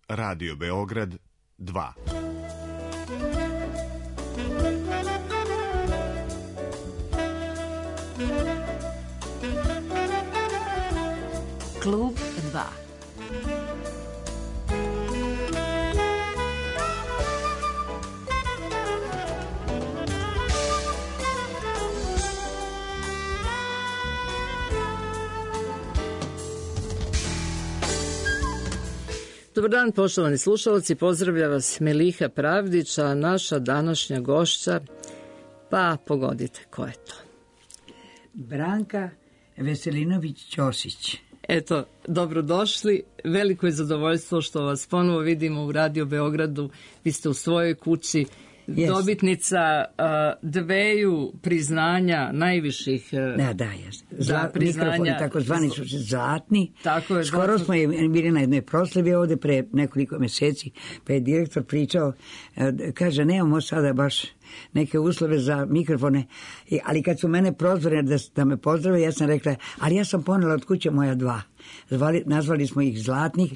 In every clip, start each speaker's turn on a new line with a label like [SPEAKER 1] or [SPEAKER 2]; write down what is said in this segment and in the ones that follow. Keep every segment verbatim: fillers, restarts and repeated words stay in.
[SPEAKER 1] Radio Beograd dva.
[SPEAKER 2] Klub dva.
[SPEAKER 3] Dobar dan, poštovani slušalci, pozdravlja vas Meliha Pravdić, a naša današnja gošća, pa pogodite ko je to.
[SPEAKER 4] Branka Veselinović-Ćosić.
[SPEAKER 3] Eto, dobrodošli, veliko je zadovoljstvo što vas ponovo vidimo u Radio Beogradu, vi ste u svojoj kući, yes. Dobitnica uh, dveju priznanja najviših uh,
[SPEAKER 4] da, da, yes. Zla,
[SPEAKER 3] da, priznanja.
[SPEAKER 4] Mikrofoni takozvani su zlatni.
[SPEAKER 3] Tako je,
[SPEAKER 4] skoro
[SPEAKER 3] zlatno.
[SPEAKER 4] Smo je bili na jednoj proslavi ovde pre nekoliko meseci, pa je direktor pričao, uh, kaže, nemamo sada baš neke uslove za mikrofone, ali kad su mene prozvali da, da me pozdrave, ja sam rekla, ali ja sam ponela od kuće moja dva. Zvali, nazvali smo ih zlatnih.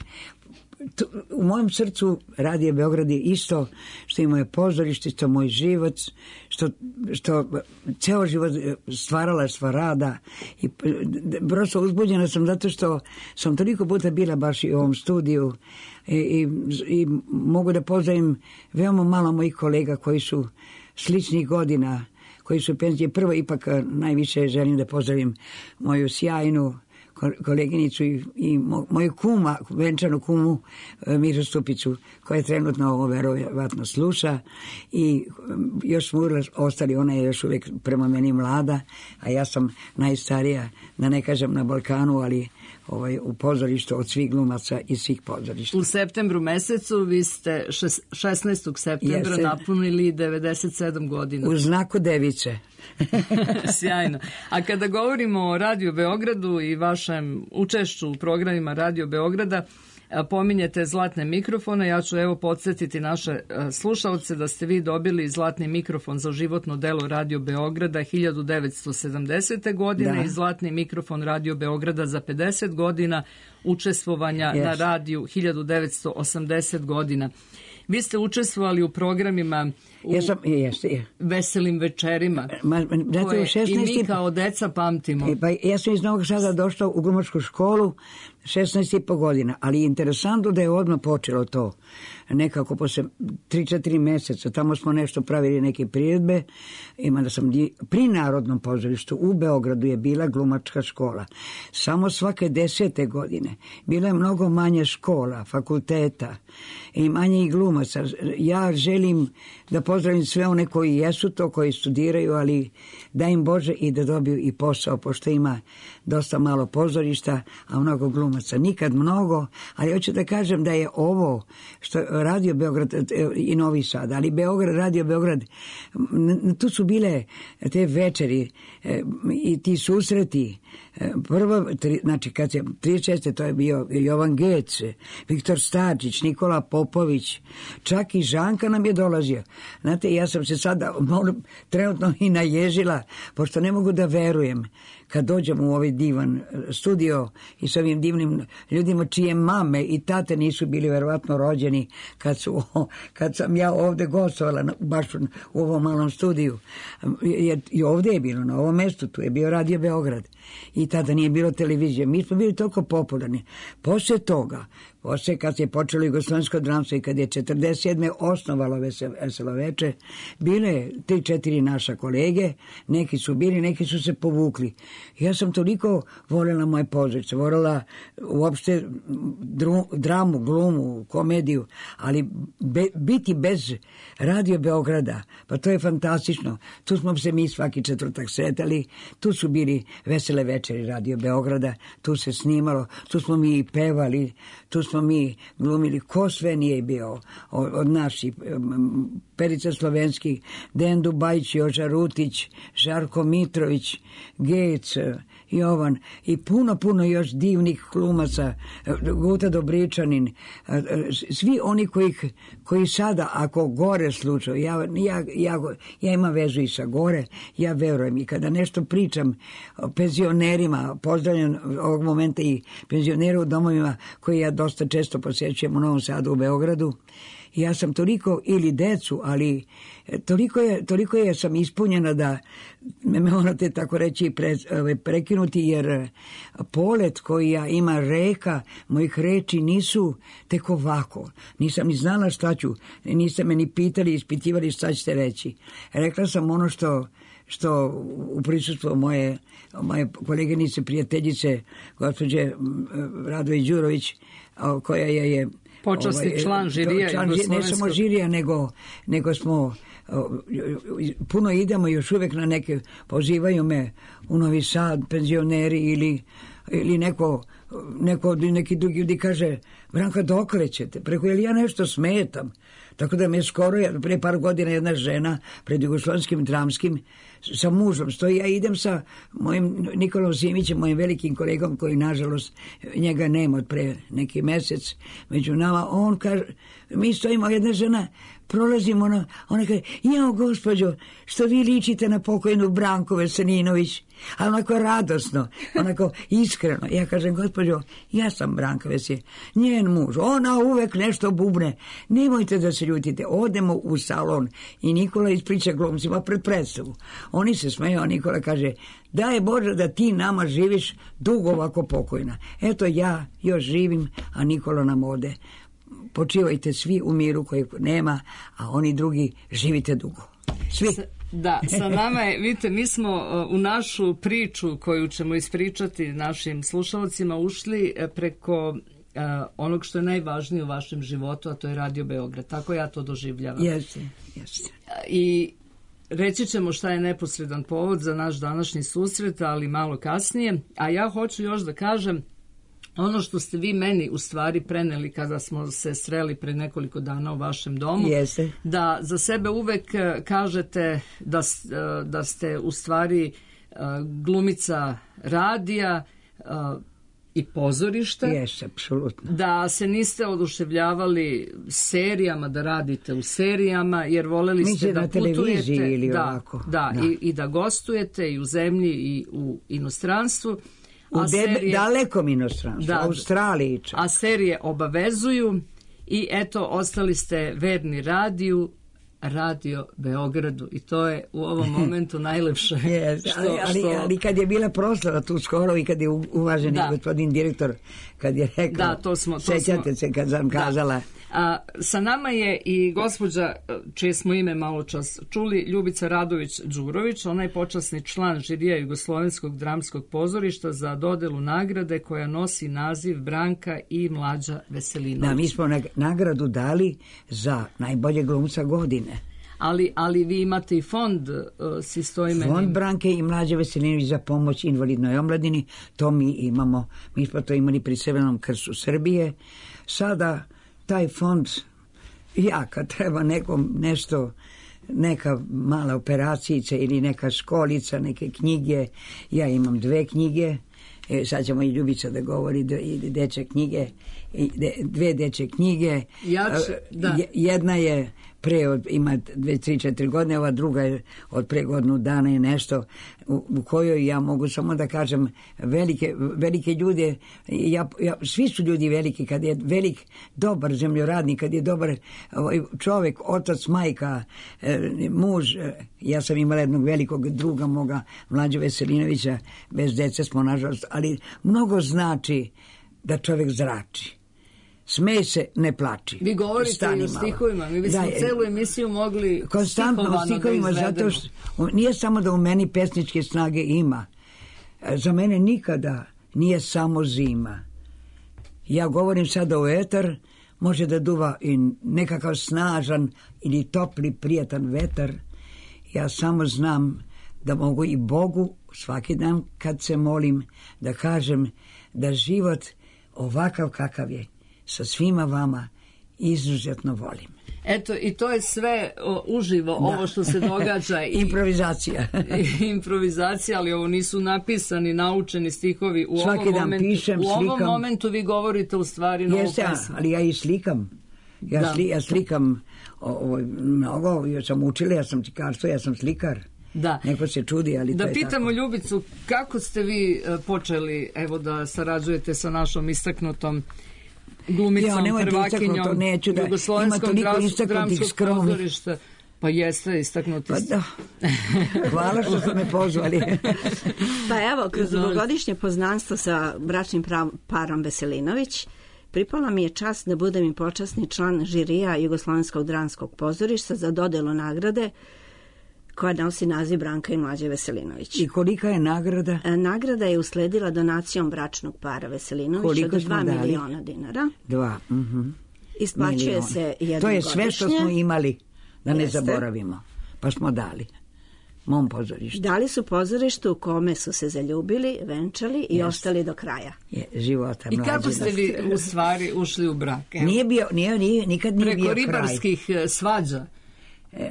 [SPEAKER 4] U mojem srcu Radio Beograd je isto što je moje pozorište, što moj život, što, što ceo život stvarala sva rada i prosto uzbuđena sam zato što sam toliko puta bila baš i u ovom studiju i, i, i mogu da pozdravim veoma malo mojih kolega koji su sličnih godina, koji su penzije. Prvo ipak najviše želim da pozdravim moju sjajnu koleginicu i, i moju kuma, venčanu kumu Miru Stupicu, koja je trenutno ovo verovatno sluša i još smo ostali, ona je još uvijek prema meni mlada, a ja sam najstarija, da ne kažem na Balkanu, ali ovaj, u pozorištu od svih glumaca i svih pozorišta.
[SPEAKER 3] U septembru mesecu vi ste šesnaestog septembra Jeste. napunili devedeset sedam godina.
[SPEAKER 4] U znaku device.
[SPEAKER 3] Sjajno. A kada govorimo o Radio Beogradu i vašem učešću u programima Radio Beograda, pominjete zlatne mikrofone. Ja ću evo podsjetiti naše slušalce da ste vi dobili zlatni mikrofon za životno delo Radio Beograda hiljadu devetsto sedamdesete. godine da. i zlatni mikrofon Radio Beograda za pedeset godina učestvovanja yes. na radiju hiljadu devetsto osamdesete. godina. Vi ste učestvovali u programima u
[SPEAKER 4] ja sam, jeste, je.
[SPEAKER 3] Veselim večerima,
[SPEAKER 4] ma,
[SPEAKER 3] koje šesnaesti i mi kao deca pamtimo.
[SPEAKER 4] Pa ja sam iz Novog Sada došla u glumačku školu šesnaest i po godina, ali je interesantno da je odmah počelo to. Nekako posle tri četiri meseca, tamo smo nešto pravili neke priredbe, ima da sam pri Narodnom pozorištu u Beogradu je bila glumačka škola. Samo svake desete godine bila je mnogo manje škola, fakulteta i manje i glumaca. Ja želim da pozdravim sve one koji jesu to, koji studiraju, ali da im Bože i da dobiju i posao, pošto ima dosta malo pozorišta, a mnogo glumaca. Nikad mnogo, ali hoću da kažem da je ovo što Radio Beograd i Novi Sad, ali Beograd, Radio Beograd, tu su bile te večeri i ti susreti. Prvo, znači kad se trideset šeste to je bio Jovan Gec, Viktor Starčić, Nikola Popović, čak i Žanka nam je dolazio. Znate, ja sam se sada trenutno i naježila, pošto ne mogu da verujem kad dođem u ovaj divan studio i s ovim divnim ljudima čije mame i tate nisu bili verovatno rođeni kad, su, kad sam ja ovde gostovala baš u ovom malom studiju. I ovde je bilo, na ovom mestu, tu je bio Radio Beograd i tada nije bilo televizije. Mi smo bili toliko popularni. Posle toga, posle kad je počelo jugoslovensko dramstvo i kad je četrdeset sedme osnovalo Veselo veče, bile tri četiri naša kolege, neki su bili, neki su se povukli. Ja sam toliko voljela moje pozorište, voljela uopšte dru, dramu, glumu, komediju, ali be, biti bez Radio Beograda, pa to je fantastično. Tu smo se mi svaki četvrtak sretali, tu su bili vesele večeri Radio Beograda, tu se snimalo, tu smo mi i pevali, tu smo mi glumili, ko sve nije bio od, od naših, Perica Slovenski, Dejan Dubajić, Joža Rutić, Žarko Mitrović, Gec, Jovan i puno, puno još divnih glumaca, Guta Dobričanin, svi oni koji, koji sada, ako gore slučaju, ja, ja, ja, ja imam vezu i sa gore, ja verujem i kada nešto pričam o penzionerima, pozdravljam ovog momenta i penzionere u domovima koji ja dosta često posjećujem u Novom Sadu, u Beogradu, ja sam toliko, ili decu, ali toliko je, toliko je sam ispunjena da me morate tako reći pre, prekinuti, jer polet koji ja ima reka, mojih reči nisu tek ovako. Nisam ni znala šta ću, niste me ni pitali, ispitivali šta ćete reći. Rekla sam ono što, što u prisustvu moje, moje koleginice, prijateljice, gospođe Radović Đurović, koja je, je
[SPEAKER 3] počasni ovaj, član žirija.
[SPEAKER 4] Član, ne samo žirija, nego, nego smo puno idemo još uvijek na neke, pozivaju me u Novi Sad, penzioneri ili, ili neko, neko, neki drugi ljudi kaže, Branka, dokle ćete? Preko, jel ja nešto smetam? Tako da me skoro, pre par godina jedna žena pred Jugoslovenskim dramskim sa mužom stoji, ja idem sa mojim Nikolom Simićem, mojim velikim kolegom koji nažalost njega nema od pre neki mesec među nama, on kaže, mi stojimo, jedna žena prolazimo, ona, ona kaže, jao gospođo, što vi ličite na pokojnu Branku Veselinović, ali onako radosno, onako iskreno. Ja kažem, gospođo, ja sam Branka Veselinović, njen muž, ona uvek nešto bubne, nemojte da se ljutite, odemo u salon i Nikola ispriča glumcima pred predstavu. Oni se smeju, a Nikola kaže, daj Bože da ti nama živiš dugo ovako pokojna. Eto ja još živim, a Nikola nam ode. Počivajte svi u miru kojeg nema, a oni drugi živite dugo. Svi.
[SPEAKER 3] Da, sa nama je, vidite, mi smo u našu priču koju ćemo ispričati našim slušalcima ušli preko uh, onog što je najvažnije u vašem životu, a to je Radio Beograd. Tako ja to doživljavam.
[SPEAKER 4] Jeste, jeste.
[SPEAKER 3] I reći ćemo šta je neposredan povod za naš današnji susret, ali malo kasnije. A ja hoću još da kažem ono što ste vi meni u stvari preneli kada smo se sreli pre nekoliko dana u vašem domu,
[SPEAKER 4] Jeste.
[SPEAKER 3] da za sebe uvek kažete da, da ste u stvari glumica radija i pozorišta.
[SPEAKER 4] Jeste, apsolutno.
[SPEAKER 3] Da se niste oduševljavali serijama, da radite u serijama, jer voleli ste
[SPEAKER 4] Mislim
[SPEAKER 3] da
[SPEAKER 4] na
[SPEAKER 3] putujete.
[SPEAKER 4] ili
[SPEAKER 3] da,
[SPEAKER 4] ovako.
[SPEAKER 3] Da,
[SPEAKER 4] Da.
[SPEAKER 3] I, i da gostujete i u zemlji i u inostranstvu.
[SPEAKER 4] U
[SPEAKER 3] A
[SPEAKER 4] debe,
[SPEAKER 3] serije-
[SPEAKER 4] dalekom inostranstvu,
[SPEAKER 3] Da,
[SPEAKER 4] Australiji čak.
[SPEAKER 3] A serije obavezuju i eto, ostali ste verni radiju, Radio Beogradu, i to je u ovom momentu najlepše.
[SPEAKER 4] Yes,
[SPEAKER 3] što,
[SPEAKER 4] ali, ali,
[SPEAKER 3] što-
[SPEAKER 4] ali kad je bila proslava tu skoro i kad je u- uvaženi
[SPEAKER 3] Da.
[SPEAKER 4] gospodin direktor, kad je rekao,
[SPEAKER 3] Da, to smo- to
[SPEAKER 4] sećate
[SPEAKER 3] smo-
[SPEAKER 4] se kad sam kazala,
[SPEAKER 3] A, sa nama je i gospođa, čije smo ime malo čas čuli, Ljubica Radović Đurović. Ona je počasni član žirija Jugoslovenskog dramskog pozorišta za dodelu nagrade koja nosi naziv Branka i Mlađa Veselinović.
[SPEAKER 4] da, mi smo nag- nagradu dali za najbolje glumca godine.
[SPEAKER 3] Ali, ali vi imate i fond uh, s istoimenim.
[SPEAKER 4] Fond Branke i Mlađe Veselinović za pomoć invalidnoj omladini, to mi imamo. Mi smo to imali pri Crvenom krstu Srbije. Sada taj fond, ja kad treba nekom nešto, neka mala operacijica ili neka školica, neke knjige, ja imam dve knjige, e, sad ćemo i Ljubica da govori, dve, i dečje knjige, i de, dve dečje knjige.
[SPEAKER 3] Ja ću- da.
[SPEAKER 4] Je- Jedna je pre, od, ima dve, tri, četiri godine, ova druga je od pre godinu dana i nešto, u, u kojoj ja mogu samo da kažem velike, velike ljude, ja, ja, svi su ljudi veliki, kad je velik, dobar zemljoradnik, kad je dobar ovaj, čovek, otac, majka, e, muž, e, ja sam imala jednog velikog druga moga, Mlađa Veselinovića, bez dece smo nažalost, ali mnogo znači da čovek zrači. Smej se, ne plači.
[SPEAKER 3] Vi govorite
[SPEAKER 4] Stani
[SPEAKER 3] i o
[SPEAKER 4] malo.
[SPEAKER 3] stihovima. Mi bismo
[SPEAKER 4] Da,
[SPEAKER 3] celu emisiju mogli
[SPEAKER 4] konstantno u
[SPEAKER 3] stihovano da
[SPEAKER 4] stihovima, zato
[SPEAKER 3] izvedemo.
[SPEAKER 4] što nije samo da u meni pesničke snage ima. Za mene nikada nije samo zima. Ja govorim sada u etar, može da duva i nekakav snažan ili topli, prijatan vetar. Ja samo znam da mogu i Bogu svaki dan kad se molim da kažem da život ovakav kakav je sa svima vama izuzetno volim.
[SPEAKER 3] Eto, i to je sve o, uživo, da. Ovo što se događa. I,
[SPEAKER 4] improvizacija.
[SPEAKER 3] i, improvizacija, ali ovo nisu napisani, naučeni stihovi. U
[SPEAKER 4] Svaki
[SPEAKER 3] ovom
[SPEAKER 4] dan
[SPEAKER 3] momentu,
[SPEAKER 4] pišem,
[SPEAKER 3] u
[SPEAKER 4] slikam.
[SPEAKER 3] U ovom momentu vi govorite u stvari novu
[SPEAKER 4] Jeste,
[SPEAKER 3] pesmu.
[SPEAKER 4] ali ja i slikam. Ja, da. sli, ja slikam o, o, mnogo, ja sam učila, ja sam slikarstvo, ja sam slikar.
[SPEAKER 3] Da.
[SPEAKER 4] Neko se čudi, ali
[SPEAKER 3] da
[SPEAKER 4] to je
[SPEAKER 3] pitamo
[SPEAKER 4] tako.
[SPEAKER 3] Ljubicu, kako ste vi počeli, evo, da sarađujete sa našom istaknutom glumicom,
[SPEAKER 4] ja,
[SPEAKER 3] prvakinjom
[SPEAKER 4] neću da
[SPEAKER 3] Jugoslovenskog dramskog pozorišta? Pa jeste, istaknuti.
[SPEAKER 4] Pa da. Hvala što ste me pozvali.
[SPEAKER 2] Pa evo, kroz dugogodišnje poznanstvo sa bračnim parom Veselinović, pripala mi je čast da budem i počasni član žirija Jugoslovenskog dramskog pozorišta za dodelu nagrade koja nosi naziv Branka i Mlađe Veselinović.
[SPEAKER 4] I kolika je nagrada?
[SPEAKER 2] E, nagrada je usledila donacijom bračnog para Veselinović od dva miliona dinara.
[SPEAKER 4] Dva. Uh-huh.
[SPEAKER 2] Isplaćuje miliona. Se jednom
[SPEAKER 4] To je
[SPEAKER 2] godišnje.
[SPEAKER 4] Sve što smo imali, da ne
[SPEAKER 2] Jeste.
[SPEAKER 4] Zaboravimo. Pa smo dali. Mom pozorištu.
[SPEAKER 2] Dali su pozorištu u kome su se zaljubili, venčali i Jeste. Ostali do kraja.
[SPEAKER 4] Je, života
[SPEAKER 3] I
[SPEAKER 4] mlađe.
[SPEAKER 3] kako ste vi u stvari ušli u brak? Evo.
[SPEAKER 4] Nije bio, nije, nije, nikad nije
[SPEAKER 3] Preko
[SPEAKER 4] bio kraj.
[SPEAKER 3] Preko ribarskih svađa.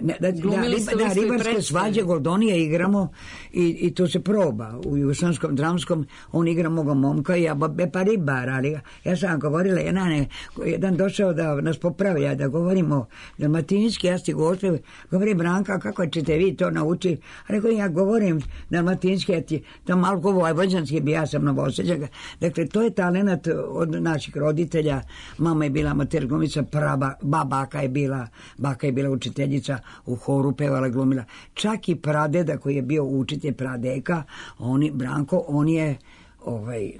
[SPEAKER 4] Ne, da, da, da, da ribarske svađe Goldonije igramo i, i to se proba u Jugoslavenskom dramskom, on igra moga momka i ja be pa ribar, ali ja sam govorila, jedan, ne, jedan došao da nas popravlja, da govorimo dalmatinski, ja sti gospe, govori Branka, kako ćete vi to nauči? A rekao, ja govorim dalmatinski, ja ti, to malo vojvođanski bi, ja sam Novoseđaka. Dakle, to je talenat od naših roditelja, mama je bila amater glumica, praba, babaka je bila, baka je bila učiteljica, u horu pevala, glumila. Čak i pradeda koji je bio učitelj pradeka, oni, Branko, on je ovaj,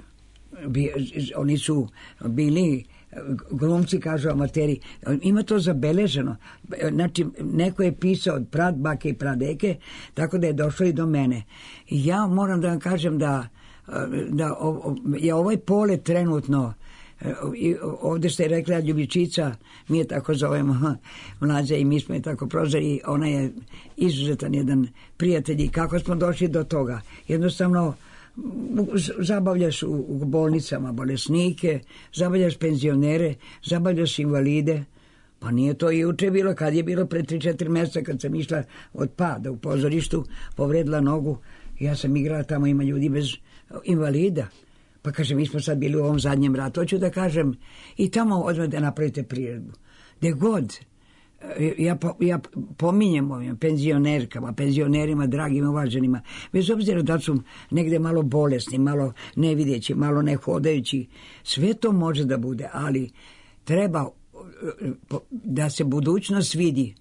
[SPEAKER 4] bi, oni su bili glumci, kažu amateri. Ima to zabeleženo. Znači, neko je pisao od pradbake i pradeke, tako da je došlo i do mene. I ja moram da vam kažem da, da je ovaj pole trenutno i ovdje ste rekla Ljubičica, mi je tako zovemo Mlađa i mi smo je tako prozvali i ona je izuzetan jedan prijatelj i kako smo došli do toga. Jednostavno zabavljaš u, u bolnicama bolesnike, zabavljaš penzionere, zabavljaš invalide. Pa nije to i juče bilo, kad je bilo pre tri četiri mjeseca kad sam išla od pada u pozorištu, povredila nogu, ja sam igrala tamo, ima ljudi bez invalida. Pa kaže, mi smo sad bili u ovom zadnjem ratu, hoću da kažem, i tamo odmah da napravite priredbu. Gde god, ja, ja pominjem ovim penzionerkama, penzionerima, dragim, uvaženima, bez obzira da su negde malo bolesni, malo nevidjeći, malo nehodajući, sve to može da bude, ali treba da se budućnost vidi,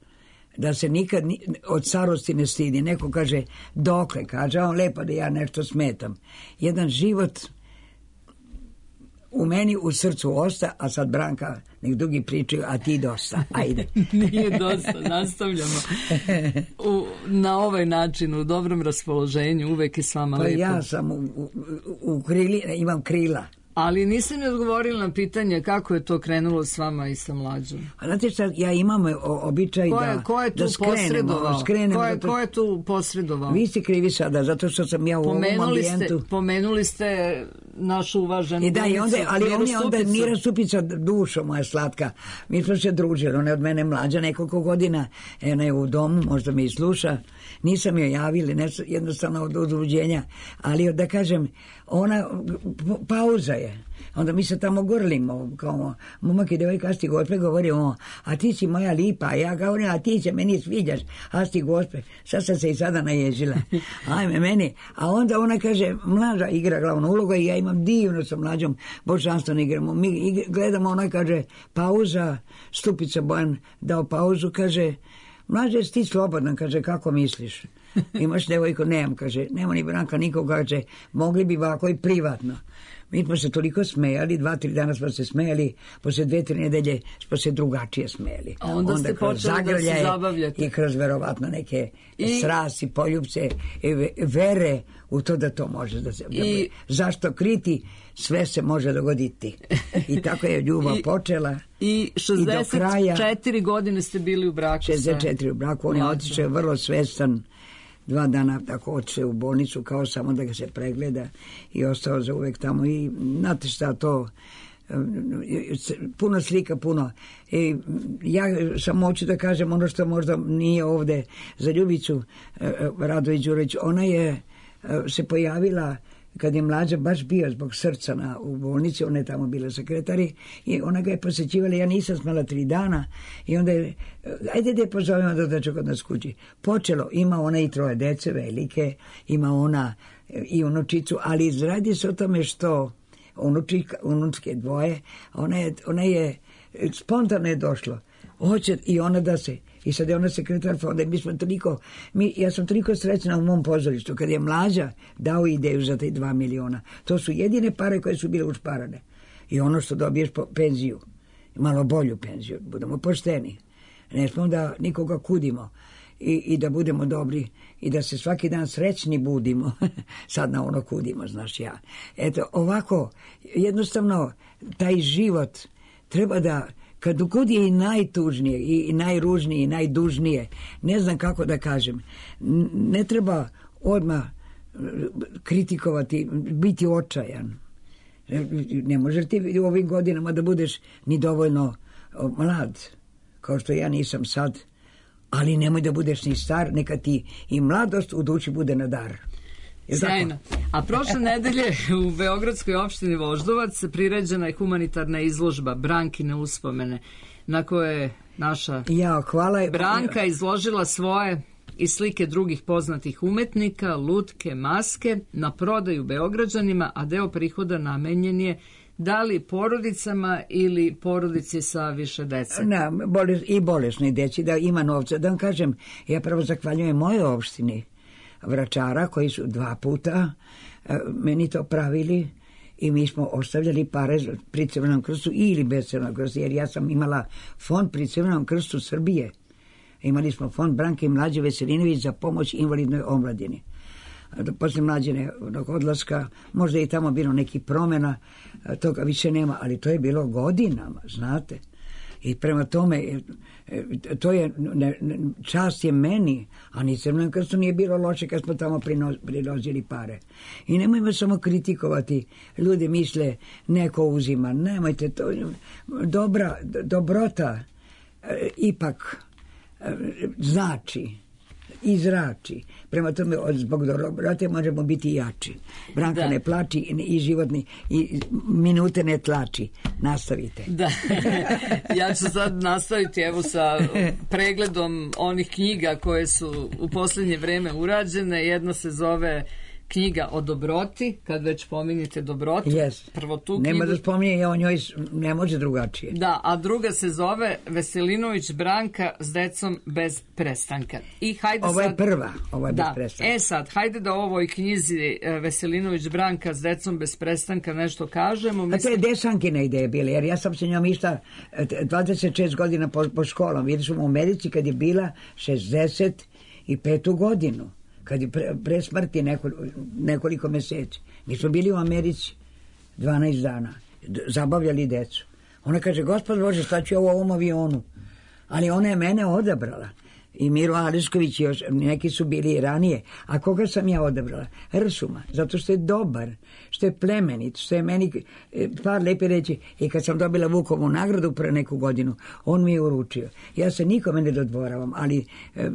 [SPEAKER 4] da se nikad od starosti ne stidi. Neko kaže, dokle, kaže, on lepo da ja nešto smetam. Jedan život u meni u srcu osta, a sad Branka, nek drugi pričaju, a ti dosta, ajde.
[SPEAKER 3] Nije dosta, nastavljamo. U, na ovaj način, u dobrom raspoloženju, uvek je s vama
[SPEAKER 4] pa
[SPEAKER 3] lepo.
[SPEAKER 4] Pa ja sam u, u, u krili, imam krila.
[SPEAKER 3] Ali niste mi odgovorili na pitanje kako je to krenulo s vama i sa Mlađom.
[SPEAKER 4] A znate šta, ja imam običaj
[SPEAKER 3] ko je,
[SPEAKER 4] da,
[SPEAKER 3] ko je tu
[SPEAKER 4] da skrenemo.
[SPEAKER 3] skrenemo ko, je, ko je tu posredovao?
[SPEAKER 4] Vi ste krivi sada, zato što sam ja u pomenuli ovom ambijentu.
[SPEAKER 3] Ste, pomenuli ste našu uvaženu
[SPEAKER 4] I da, i onda, ali on je onda
[SPEAKER 3] Stupicu.
[SPEAKER 4] Mira Stupica, dušo moja slatka. Mi smo se družili, ona je od mene mlađa nekoliko godina, ona je u domu, možda me i sluša. Nisam joj javili, ne, jednostavno od udruženja, ali da kažem, ona, pauza je. Onda mi se tamo grlimo, kao momak i devojka, asti gospe, govorimo, a ti si moja lipa, a ja govorim, a ti se meni sviđaš, asti gospe, sad sam se i sada naježila, ajme meni, a onda ona kaže, Mlađa igra glavnu ulogu i ja imam divno sa Mlađom, božanstveno igramo, mi igra, gledamo, ona kaže, pauza, Stupica Bojan dao pauzu, kaže, Mlađa, jesi ti slobodan, kaže, kako misliš? Imaš devojku? Nemam, kaže, nema ni Branka nikoga, kaže, mogli bi ovako i privatno. Mi smo se toliko smejali, dva, tri dana smo se smejali, posle dve, tri nedelje smo se drugačije smejali.
[SPEAKER 3] A onda, onda ste počeli da se zabavljate.
[SPEAKER 4] I kroz verovatno neke
[SPEAKER 3] I...
[SPEAKER 4] strasti, poljubce, vere u to da to može da se...
[SPEAKER 3] I...
[SPEAKER 4] Zašto kriti? Sve se može dogoditi. I tako je ljubav
[SPEAKER 3] I...
[SPEAKER 4] počela.
[SPEAKER 3] I šezdeset četiri godine ste bili u braku.
[SPEAKER 4] šezdeset četiri u braku, on je otišao vrlo svestan. Dva dana tako otišao u bolnicu kao samo da ga se pregleda i ostao za uvek tamo i znate šta to puno slika, puno. I ja sam hoću da kažem ono što možda nije ovde za Ljubicu Radović Đurović. Ona je se pojavila kad je Mlađa baš bio zbog srca na, u bolnici, ona je tamo bila sekretari i ona ga je posećivala, ja nisam smela tri dana i onda je, ajde da je pozovemo da dođe kod nas kući. Počelo, ima ona i troje dece velike, ima ona i unučicu, ali radi se o tome što unučika, unučke dvoje, ona je, ona je spontano je došlo, hoće i ona da se, i sad je ona sekretar fonda i mi smo toliko, mi, ja sam toliko srećna u mom pozorištu kad je Mlađa dao ideju za te dva miliona. To su jedine pare koje su bile ušparane. I ono što dobiješ po penziju, malo bolju penziju, budemo pošteni. Ne smo da nikoga kudimo i, i da budemo dobri i da se svaki dan srećni budimo. Sad na ono kudimo, znaš ja. Eto, ovako, jednostavno, taj život treba da kad god je i najtužnije i najružnije i najdužnije, ne znam kako da kažem, ne treba odmah kritikovati, biti očajan. Ne možeš ti u ovim godinama da budeš ni dovoljno mlad, kao što ja nisam sad, ali nemoj da budeš ni star, neka ti i mladost u duši bude na dar.
[SPEAKER 3] Sjajno. A prošle nedelje u Beogradskoj opštini Voždovac priređena je humanitarna izložba Brankine uspomene, na koje je naša
[SPEAKER 4] ja, hvala.
[SPEAKER 3] Branka izložila svoje i slike drugih poznatih umetnika, lutke, maske na prodaju Beograđanima, a deo prihoda namenjen je da li porodicama ili porodici sa više dece?
[SPEAKER 4] Na, boles, i bolesni deci, da ima novca. Da vam kažem, ja prvo zahvaljujem moje opštini Vračara, koji su dva puta meni to pravili i mi smo ostavljali pare pri Crvenom krstu ili bez Crvenog krsta, jer ja sam imala fond pri Crvenom krstu Srbije. Imali smo fond Branke Mlađe Veselinović za pomoć invalidnoj omladini. Posle Mlađinog odlaska, možda je i tamo bilo neki promjena, toga više nema, ali to je bilo godinama, znate. I prema tome, to je, ne, čast je meni, a ni Crvenom krstu nije bilo loše kad smo tamo prinozili pare. I nemojmo samo kritikovati, ljudi misle neko uzima, nemojte to, dobra, dobrota ipak znači, izrači. Prema tome, zbog dobrote možemo biti jači. Branka da. Ne plači i životni, i minute ne tlači. Nastavite.
[SPEAKER 3] Da. Ja ću sad nastaviti evo sa pregledom onih knjiga koje su u posljednje vreme urađene. Jedna se zove knjiga o dobroti, kad već pominjete dobrotu.
[SPEAKER 4] Yes.
[SPEAKER 3] Prvo tu knjigu.
[SPEAKER 4] Nema da spominje, ja o njoj ne može drugačije.
[SPEAKER 3] Da, a druga se zove Veselinović Branka s decom bez prestanka. I hajde
[SPEAKER 4] ovo je
[SPEAKER 3] sad,
[SPEAKER 4] prva, ovo je
[SPEAKER 3] da,
[SPEAKER 4] bez prestanka.
[SPEAKER 3] E sad, hajde da o ovoj knjizi Veselinović Branka s decom bez prestanka nešto kažemo.
[SPEAKER 4] Mislim... A to je Desankina ideja bila, jer ja sam se njom išla dvadeset šest godina po, po školom. Vidiš u Americi kad je bila šezdeset petu godinu. Kad je pre, pre smrti nekoliko, nekoliko meseci. Mi smo bili u Americi dvanaest dana, zabavljali decu. Ona kaže, Gospod Bože, šta ću ja u ovom avionu? Ali ona je mene odabrala. I Miro Ališković i još, neki su bili i ranije. A koga sam ja odabrala? Rsuma, zato što je dobar, što je plemenit, što je meni par lepi reći. I kad sam dobila Vukovu nagradu pre neku godinu, on mi je uručio. Ja se nikome ne dodvoravam, ali e,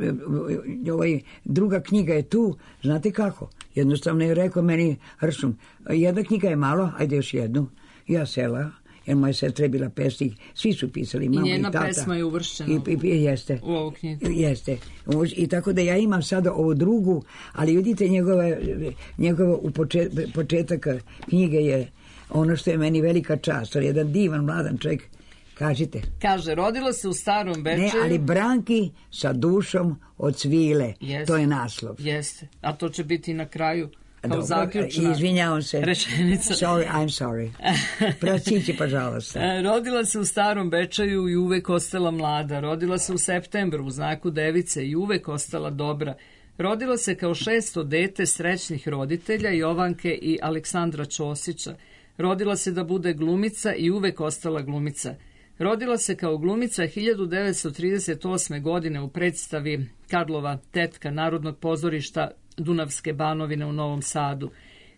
[SPEAKER 4] ovaj, druga knjiga je tu, znate kako? Jednostavno je rekao meni Rsum, jedna knjiga je malo, ajde još jednu. Ja sela, jer moja sestra je bila pesnik, svi su pisali, mama i tata.
[SPEAKER 3] I njena pesma je uvršćena
[SPEAKER 4] I, i, jeste,
[SPEAKER 3] u ovu knjigu.
[SPEAKER 4] Jeste. I tako da ja imam sada ovu drugu, ali vidite njegove, njegove u počet, početak knjige je ono što je meni velika čast. On je jedan divan, mladan čovjek. Kažite.
[SPEAKER 3] Kaže, rodila se u Starom Bečeju.
[SPEAKER 4] Ne, ali Branki sa dušom od svile. Jeste. To je naslov.
[SPEAKER 3] Jeste. A to će biti na kraju kao zaključna
[SPEAKER 4] izvinjavam se.
[SPEAKER 3] Rečenica.
[SPEAKER 4] Sorry, I'm sorry. Prostići, pažalost.
[SPEAKER 3] Rodila se u Starom Bečeju i uvek ostala mlada. Rodila se u septembru u znaku device i uvek ostala dobra. Rodila se kao šesto dete srećnih roditelja Jovanke i Aleksandra Ćosića. Rodila se da bude glumica i uvek ostala glumica. Rodila se kao glumica hiljadu devetsto trideset osme. godine u predstavi Karlova tetka Narodnog pozorišta Dunavske Banovine u Novom Sadu.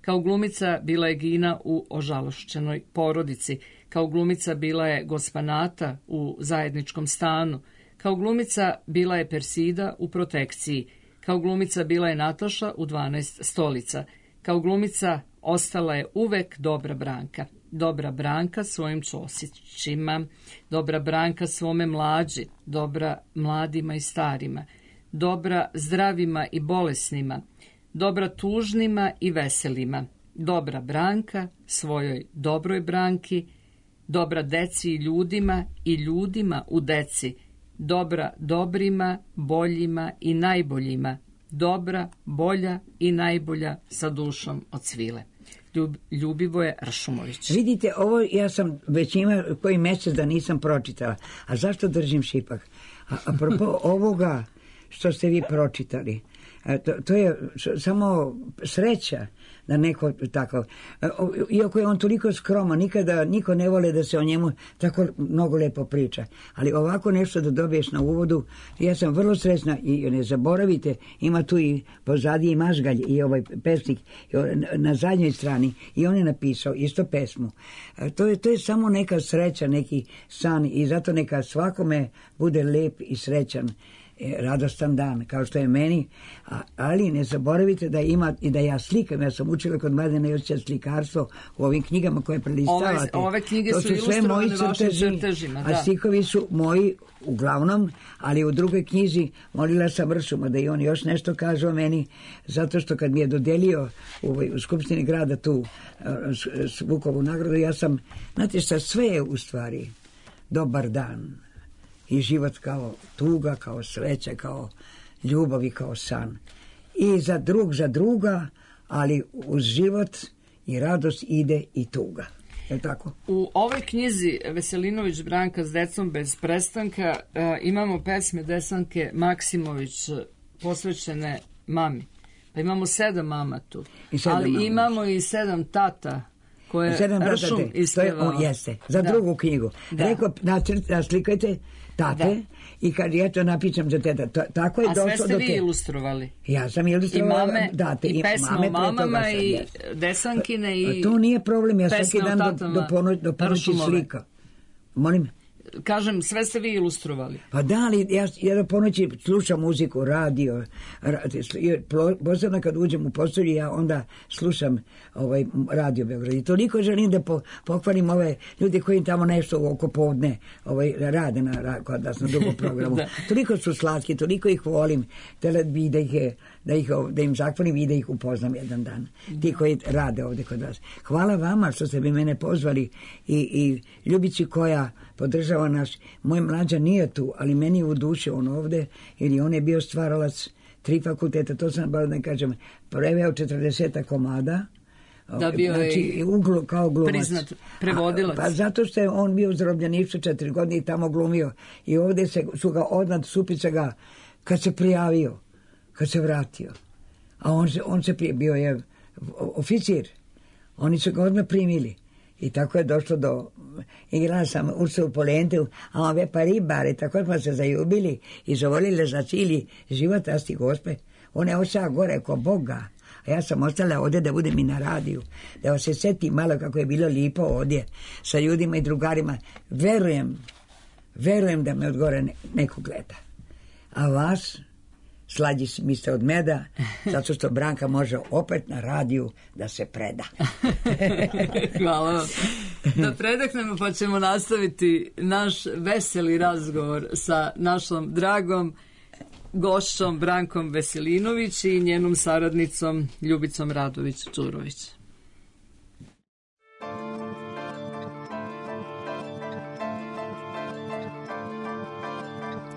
[SPEAKER 3] Kao glumica bila je Gina u Ožalošćenoj porodici. Kao glumica bila je Gospanata u Zajedničkom stanu. Kao glumica bila je Persida u Protekciji. Kao glumica bila je Nataša u dvanaest stolica. Kao glumica ostala je uvek Dobra Branka. Dobra Branka svojim Ćosićima, dobra Branka svome mlađi, dobra mladima i starima, dobra zdravima i bolesnima, dobra tužnima i veselima, dobra Branka svojoj dobroj Branki, dobra deci i ljudima i ljudima u deci, dobra dobrima, boljima i najboljima, dobra, bolja i najbolja sa dušom od svile. Ljub, Ljubivoje Ršumović.
[SPEAKER 4] Vidite, ovo ja sam već ima koji mjesec da nisam pročitala. A zašto držim šipak? A, apropo ovoga što ste vi pročitali, to, to je samo sreća da neko tako, iako je on toliko skroman, nikada niko ne vole da se o njemu tako mnogo lepo priča, ali ovako nešto da dobiješ na uvodu, ja sam vrlo srećna i ne zaboravite, ima tu i pozadije i Mažgalj i ovaj pesnik na zadnjoj strani i on je napisao isto pesmu. To je, to je samo neka sreća, neki san i zato neka svakome bude lep i srećan, radostan dan, kao što je meni, a, ali ne zaboravite da ima i da ja slikam, ja sam učila kod Mladena Josića slikarstvo u ovim knjigama koje prelistavate.
[SPEAKER 3] Ove, ove knjige
[SPEAKER 4] to
[SPEAKER 3] su,
[SPEAKER 4] su sve moji
[SPEAKER 3] vašim
[SPEAKER 4] crteži,
[SPEAKER 3] crtežima,
[SPEAKER 4] a
[SPEAKER 3] da.
[SPEAKER 4] stikovi su moji uglavnom, ali u drugoj knjizi molila sam Ršuma da i on još nešto kaže o meni, zato što kad mi je dodelio u, u Skupštini grada tu s Vukovu nagradu, ja sam, znate šta, sve je u stvari dobar dan. I život kao tuga, kao sreća, kao ljubav i kao san. I za drug za druga, ali uz život i radost ide i tuga. Je tako?
[SPEAKER 3] U ovoj knjizi Veselinović Branka s decom bez prestanka e, imamo pesme Desanke Maksimović posvećene mami. Pa imamo sedam mama tu.
[SPEAKER 4] Sedam
[SPEAKER 3] ali
[SPEAKER 4] mama.
[SPEAKER 3] Imamo i sedam tata koje
[SPEAKER 4] sedam
[SPEAKER 3] Ršum ispevao.
[SPEAKER 4] On jeste, za da. drugu knjigu. Da. Rekao, naslikajte tate da. I kad ja to napišem za teta, to, tako je
[SPEAKER 3] a
[SPEAKER 4] došlo do te.
[SPEAKER 3] A sve ste vi ilustrovali?
[SPEAKER 4] Ja sam ilustrovali.
[SPEAKER 3] I mame,
[SPEAKER 4] date,
[SPEAKER 3] i pesme o mamama, sam, i jes. Desankine, i
[SPEAKER 4] to nije problem, ja svaki dan do, do, pono, do ponoći slika. Molim?
[SPEAKER 3] Kažem, sve ste vi ilustrovali.
[SPEAKER 4] Pa da, ali ja, ja do ponoći slušam muziku, radio, posebno kad uđem u postolju, ja onda slušam ovaj radio Beograd. I toliko želim da po, pohvalim ove ljude koji tamo nešto oko podne ovaj, rade na, kod nas na drugom programu. da. Toliko su slatki, toliko ih volim, da, bi da, ih, da, ih, da im zahvalim i da ih upoznam jedan dan. Ti koji rade ovde kod vas. Hvala vama što ste bi mene pozvali i, i Ljubici koja podržava naš, moj mlađa nije tu, ali meni je u duši on ovde, jer on je bio stvaralac tri fakulteta, to sam bar da kažem, preveo četrdeset komada,
[SPEAKER 3] da bio
[SPEAKER 4] znači,
[SPEAKER 3] je
[SPEAKER 4] uglu, kao glumac.
[SPEAKER 3] Priznat prevodilac.
[SPEAKER 4] A, pa zato što je on bio u zarobljeništvu četiri godine i tamo glumio. I ovde se, su ga odnad Supica ga, kad se prijavio, kad se vratio, a on se, on se prije, bio je oficir, oni su ga odmah primili. I tako je došlo do, igrala sam Ursulu Polentu, a on ve pa ribare, tako smo se zaljubili i zavolili za cijeli život, asti gospe. On je ošao gore ko Boga, a ja sam ostala ovdje da budem i na radiju, da vas se seti malo kako je bilo lipo ovdje sa ljudima i drugarima. Verujem, verujem da me od gore ne, neko gleda. A vas, slađi mi ste od meda, zato što Branka može opet na radiju da se preda.
[SPEAKER 3] Hvala vam. Da predahnemo pa ćemo nastaviti naš veseli razgovor sa našom dragom gošćom Brankom Veselinović i njenom saradnicom Ljubicom Radović-Đurović.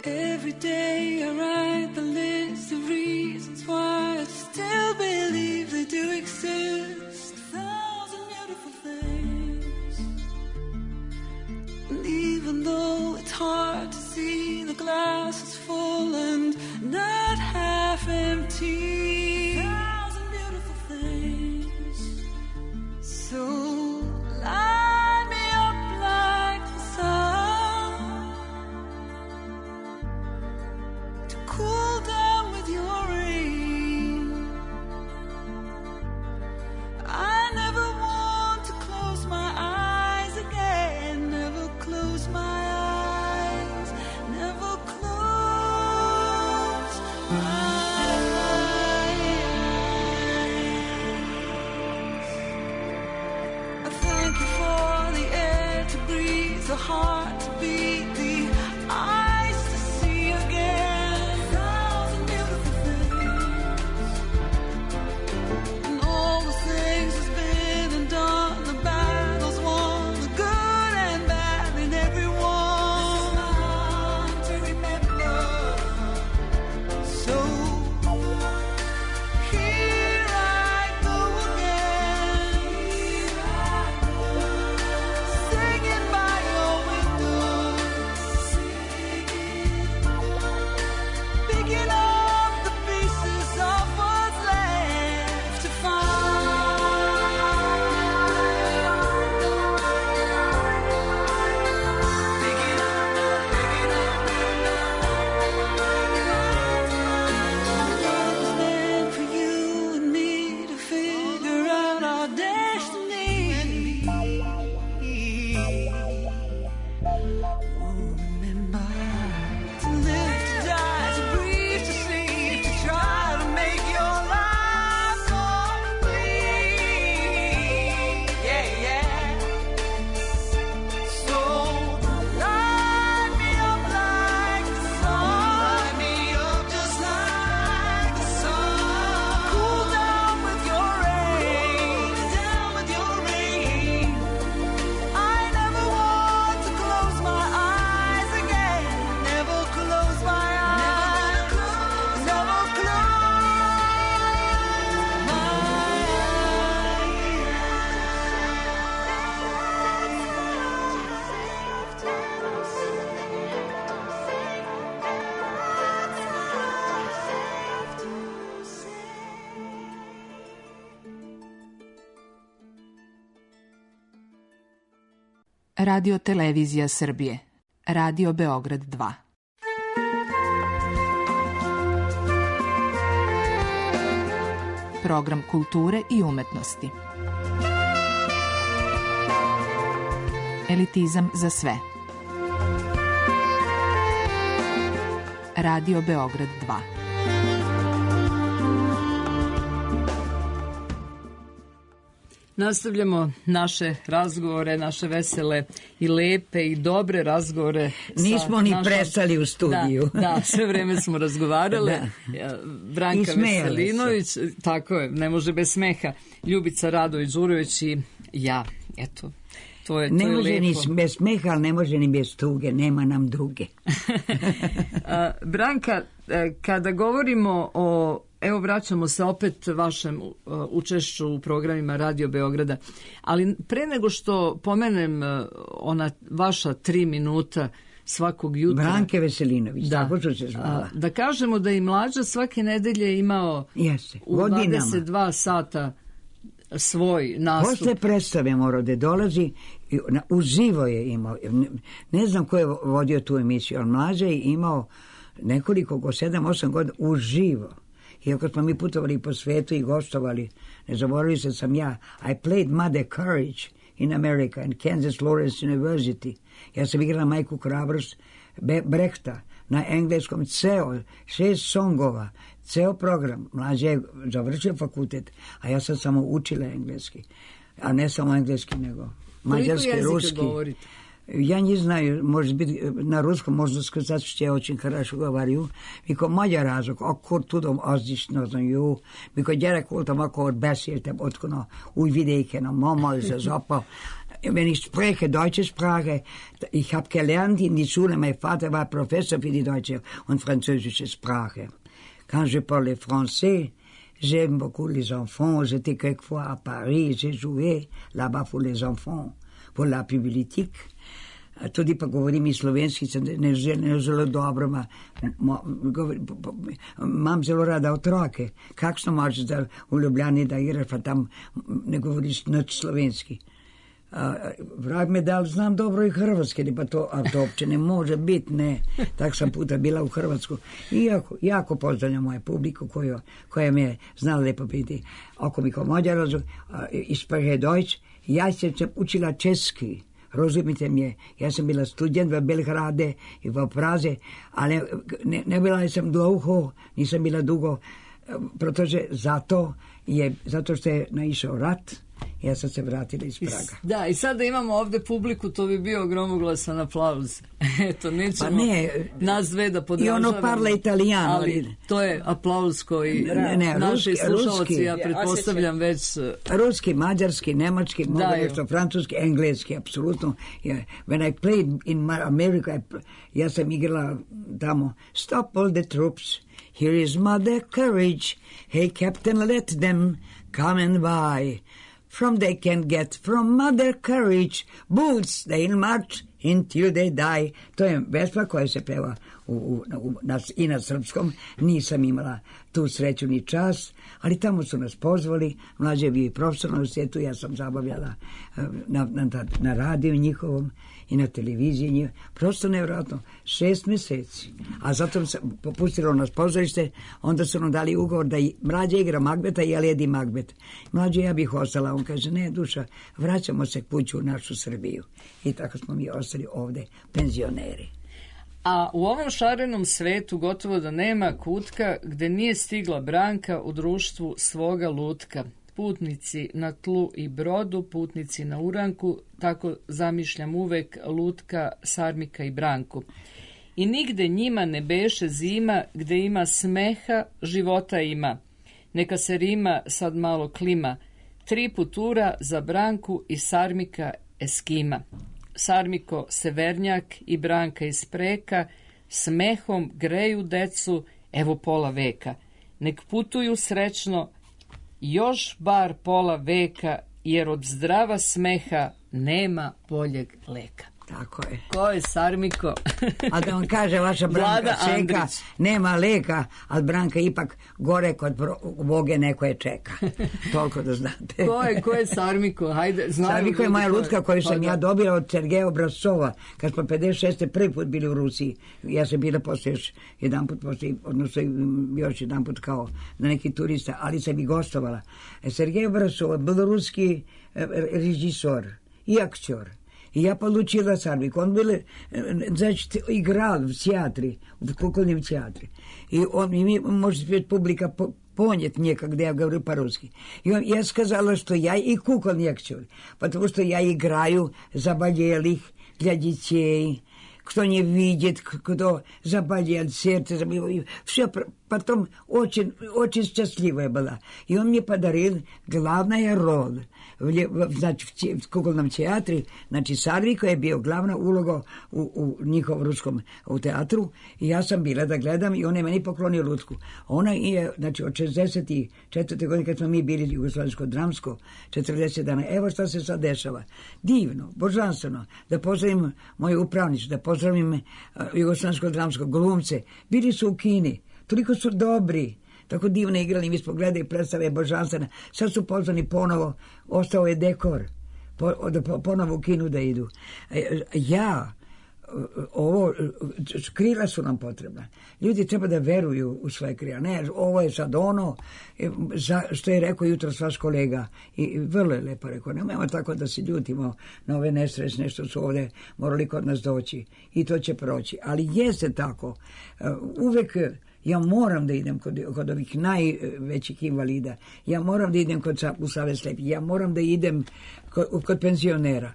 [SPEAKER 5] Every day I write the list of reasons why I still believe they do exist. A thousand beautiful things. And even though it's hard to see, the glass is full and not half empty. A thousand beautiful things. So light me up like the sun, cool down with your rain. I
[SPEAKER 6] Radio Televizija Srbije. Radio Beograd dva. Program kulture i umetnosti. Elitizam za sve. Radio Beograd dva.
[SPEAKER 3] Nastavljamo naše razgovore, naše vesele i lepe i dobre razgovore.
[SPEAKER 4] Nismo ni
[SPEAKER 3] našom...
[SPEAKER 4] prestali u studiju.
[SPEAKER 3] Da, da, sve vreme smo razgovarale. Da. Branka Veselinović, se. Tako je, ne može bez smeha. Ljubica Radović-Đurović i ja, eto. To je, to
[SPEAKER 4] ne
[SPEAKER 3] je
[SPEAKER 4] može
[SPEAKER 3] lepo.
[SPEAKER 4] ni bez smeha, ali ne može ni bez tuge, nema nam druge.
[SPEAKER 3] Branka, kada govorimo o, evo vraćamo se opet vašem učešću u programima Radio Beograda, ali pre nego što pomenem ona vaša tri minuta svakog jutra.
[SPEAKER 4] Branke Veselinović,
[SPEAKER 3] da,
[SPEAKER 4] tako što se zvala.
[SPEAKER 3] Da kažemo da i Mlađa svake nedelje imao
[SPEAKER 4] Jeste,
[SPEAKER 3] u
[SPEAKER 4] godinama.
[SPEAKER 3] dvadeset dva sata svoj nastup.
[SPEAKER 4] Posle predstave morao da dolazi, uživo je imao, ne, ne znam ko je vodio tu emisiju, ali Mlađa je imao nekoliko, go sedam, osam godina, uživo. Iako smo mi putovali po svetu i gostovali, ne zaboravili se sam ja, I played Mother Courage in America, in Kansas Lawrence University. Ja sam igrala Majku Hrabrost Brehta, na engleskom ceo, šest songova, ceo program. Mlađe je završio fakultet, a ja sam samo učila engleski. A ne samo engleski, nego mađarski, ruski.
[SPEAKER 3] Govorite?
[SPEAKER 4] Я не знаю, может быть, на русском можно сказать, что я очень хорошо говорю. Mikor magyar azok, akkor tudom azt is nagyon jó. Mikor gyerek voltam, akkor beszéltem otthon a Újvidéken, a Mama és az Apa. Wenn ich spreche, deutsche Sprache, ich habe gelernt in die Schule, mein Vater war Professor für die deutsche und französische Sprache. Quand je parlais français, j'aime beaucoup les enfants. J'étais quelquefois à Paris, j'ai joué là-bas pour les enfants, pour la bibliothèque. Tudi pa govorim i slovenski, ne želim zelo dobro, ma, ma, govorim, imam zelo rada otroke. Kakšno možeš da u Ljubljani da igraš, pa tam ne govoriš nič slovenski. A, vrag me dal, znam dobro i hrvatski, pa to, a to uopće ne može biti, ne. Tak sam puta bila u Hrvatsku. I jako, jako pozdravljam moju publiku koju, koja me je znala lepo biti. Oko mi ko Mađar, isprahe Deutsch, ja sam učila česki. Rozumite mě, já jsem byla student ve Belgrade i v Praze, ale ne, nebyla jsem dlouho, nisam bila dugo, protože zato je, zato što je naišao rat, ja sam se vratila iz Praga.
[SPEAKER 3] Da, i sada imamo ovde publiku, to bi bio gromoglasan aplauz. Eto, nećemo
[SPEAKER 4] pa ne,
[SPEAKER 3] nas dve da podržavamo.
[SPEAKER 4] I ono parla italijano.
[SPEAKER 3] Ali to je aplauz koji ne, ne, naši ruski, slušalci, ruski, ja pretpostavljam već...
[SPEAKER 4] Ruski, mađarski, nemački, mogu nešto, francuski, engleski, apsolutno. Yeah. When I played in America, ja sam igrala tamo, stop all the troops, here is Mother Courage, hey captain, let them come and buy. From they can get from Mother Courage, boots they'll march until they die. To je vespa koja se peva u, u, u, na, i na srpskom. Nisam imala tu sreću ni čas, ali tamo su nas pozvali. Mlađe je bio i profesor na svijetu, ja sam zabavljala na, na, na radiju njihovom i na televiziji njihovom. Prosto nevjerojatno. Šest mjeseci. A zato sam popustilo nas pozorište, onda su nam dali ugovor da i Mlađe igra Magbeta i ja ledi Magbet. Mlađe, ja bih ostala. On kaže, ne, duša, vraćamo se kuću u našu Srbiju. I tako smo mi ostali ovde, penzioneri.
[SPEAKER 3] A u ovom šarenom svetu gotovo da nema kutka gde nije stigla Branka u društvu svoga lutka. Putnici na tlu i brodu, putnici na uranku, tako zamišljam uvek lutka, Sarmika i Branku. I nigde njima ne beše zima, gde ima smeha, života ima. Neka se rima sad malo klima. Tri putura za Branku i Sarmika Eskima. Sarmiko severnjak i Branka iz Preka, smehom greju decu, evo pola veka. Nek putuju srećno, još bar pola veka, jer od zdrava smeha nema boljeg leka.
[SPEAKER 4] Tako je.
[SPEAKER 3] Ko je Sarmiko?
[SPEAKER 4] A da vam kaže, vaša Branka
[SPEAKER 3] Vlada
[SPEAKER 4] čeka,
[SPEAKER 3] Andrić.
[SPEAKER 4] nema leka, ali Branka ipak gore kod Boge neko je čeka. Toliko da znate.
[SPEAKER 3] Ko je, ko je Sarmiko? Hajde, znamo.
[SPEAKER 4] Sarmiko je
[SPEAKER 3] ljudi
[SPEAKER 4] moja
[SPEAKER 3] ko
[SPEAKER 4] lutka koju sam
[SPEAKER 3] Pa
[SPEAKER 4] ja
[SPEAKER 3] da.
[SPEAKER 4] dobila od Sergeja Obrazcova, kad smo pedeset šeste prvi put bili u Rusiji. Ja sam bila poslije još jedan put, poslije, odnosno još jedan put kao na neki turista, ali sam i gostovala. Sergej Obrazcov, beloruski režisor i aktor. I ja получила Sarmik. Он был, значит, играл в театре, в кукольном театре. И он, и, может быть, публика понят мне, когда я говорю по-русски. И он, я сказала, что я и кукольный актер, потому что я играю заболелых для детей, кто не видит, кто заболел, сердце заболело. Все, потом очень, очень счастливая была. И он мне подарил главную роль. В, znači, v, te, v kukolnom teatri, znači Sarviko je bio glavna uloga u, u njihovom ruskom u teatru i ja sam bila da gledam i on je meni poklonio lutku. Ona je, znači, od šezdeset četvrte godine kad smo mi bili Jugoslovensko dramsko, četrdeset dana, evo šta se sad dešava. Divno, božanstveno, da pozdravim moju upravnicu, da pozdravim uh, Jugoslovensko dramsko glumce. Bili su u Kini, toliko su dobri, tako divno igrali, mi smo gledali predstave božanstvene. Sad su pozvani ponovo, ostao je dekor, po, da ponovo u kinu da idu. Ja, ovo, krila su nam potrebna. Ljudi treba da veruju u svoje krila. Ne, ovo je sad ono, za, što je rekao jutro vaš kolega. I vrlo je lepo rekao, nemojmo tako da se ljutimo na ove nesrećne što su ovdje morali kod nas doći. I to će proći. Ali jeste tako. Uvek ja moram da idem kod, kod ovih najvećih invalida. Ja moram da idem kod, u Savez slepih. Ja moram da idem kod, kod penzionera.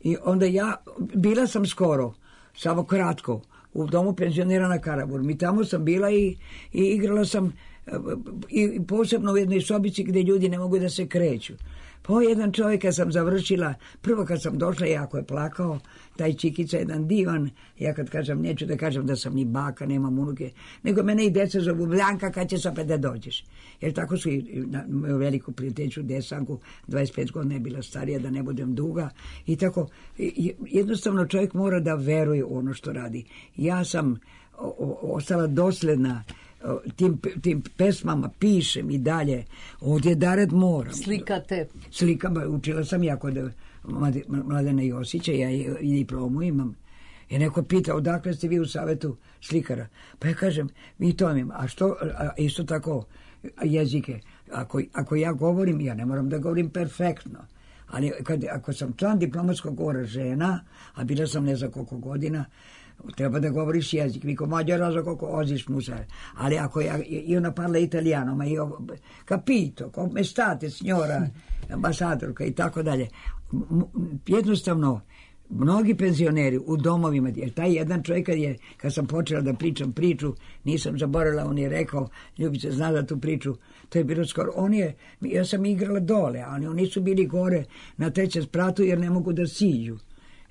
[SPEAKER 4] I onda ja, bila sam skoro, samo kratko, u domu penzionera na Karaburmi. I tamo sam bila i, i igrala sam i posebno u jednoj sobici gdje ljudi ne mogu da se kreću. Po jedan čovjek kad sam završila, prvo kad sam došla, jako je plakao, taj Čikica, jedan divan, ja kad kažem, neću da kažem da sam ni baka, nemam unuke, nego mene i deca zovu, Blanka, kad ćeš opet da dođeš. Jer tako su i na moju veliku prijateljicu Desanku, dvadeset pet godina je bila starija, da ne budem duga, i tako, jednostavno čovjek mora da veruje u ono što radi. Ja sam o, o, ostala dosljedna Tim, tim pesmama, pišem i dalje. Ovdje Dared moram.
[SPEAKER 3] Slikate.
[SPEAKER 4] Slikam, učila sam ja kod Mladena Josića, ja i diplomu imam. I neko pita, odakle ste vi u Savetu slikara? Pa ja kažem, mi to imam. A što, a isto tako, jezike. Ako, ako ja govorim, ja ne moram da govorim perfektno. Ali kad, ako sam član diplomatskog govora žena, a bila sam ne za koliko godina, treba da govoriš jezik, vi ko mađara za koliko oziš musar. Ali ako ja, io ne parla italiano, ma io capito, come state signora ambasadorka i tako dalje. Jednostavno, mnogi penzioneri u domovima, jer taj jedan čovjek kad, je, kad sam počela da pričam priču, nisam zaboravila, on je rekao, Ljubice, zna da tu priču, to je bilo skoro, on je, ja sam igrala dole, ali oni su bili gore na trećem spratu jer ne mogu da siđu.